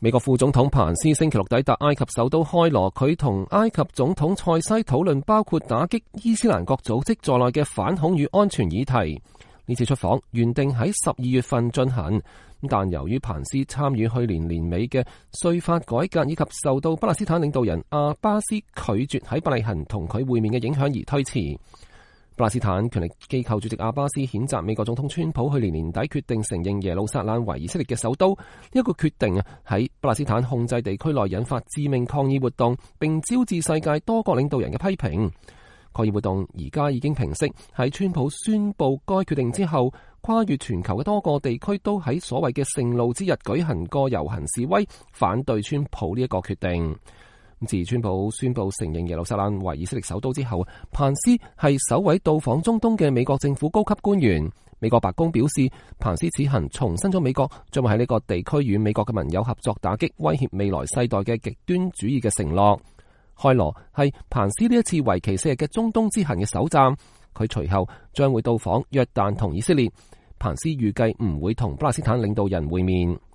美國副總統彭斯星期六抵達埃及首都開羅，佢同埃及總統塞西討論包括打擊伊斯蘭國組織在內嘅反恐與安全議題。呢次出訪原定喺12月份進行，但由於彭斯參與去年年尾嘅稅法改革以及受到巴勒斯坦領導人阿巴斯拒絕喺伯利恆同佢會面嘅影響而推遲。巴勒斯坦權力機構主席阿巴斯譴責美國總統川普去年年底決定承認耶路撒冷為以色列嘅首都，呢個決定喺巴勒斯坦控制地區內引發致命抗議活動，並招致世界多國領導人嘅批評。抗議活動而家已經平息，喺川普宣布該決定之後，跨越全球嘅多個地區都喺所謂嘅聖路之日舉行過遊行示威，反對川普呢一個決定。自川普宣布承認耶路撒冷為以色列首都之後，彭斯係首位到訪中東嘅美國政府高級官員。美國白宮表示，彭斯此行重申咗美國將會喺呢個地區與美國嘅盟友合作，打擊威脅未來世代嘅極端主義嘅承諾。開羅係彭斯呢一次為期4日嘅中東之行嘅首站，佢隨後將會到訪約旦同以色列。彭斯預計唔會同巴勒斯坦領導人會面。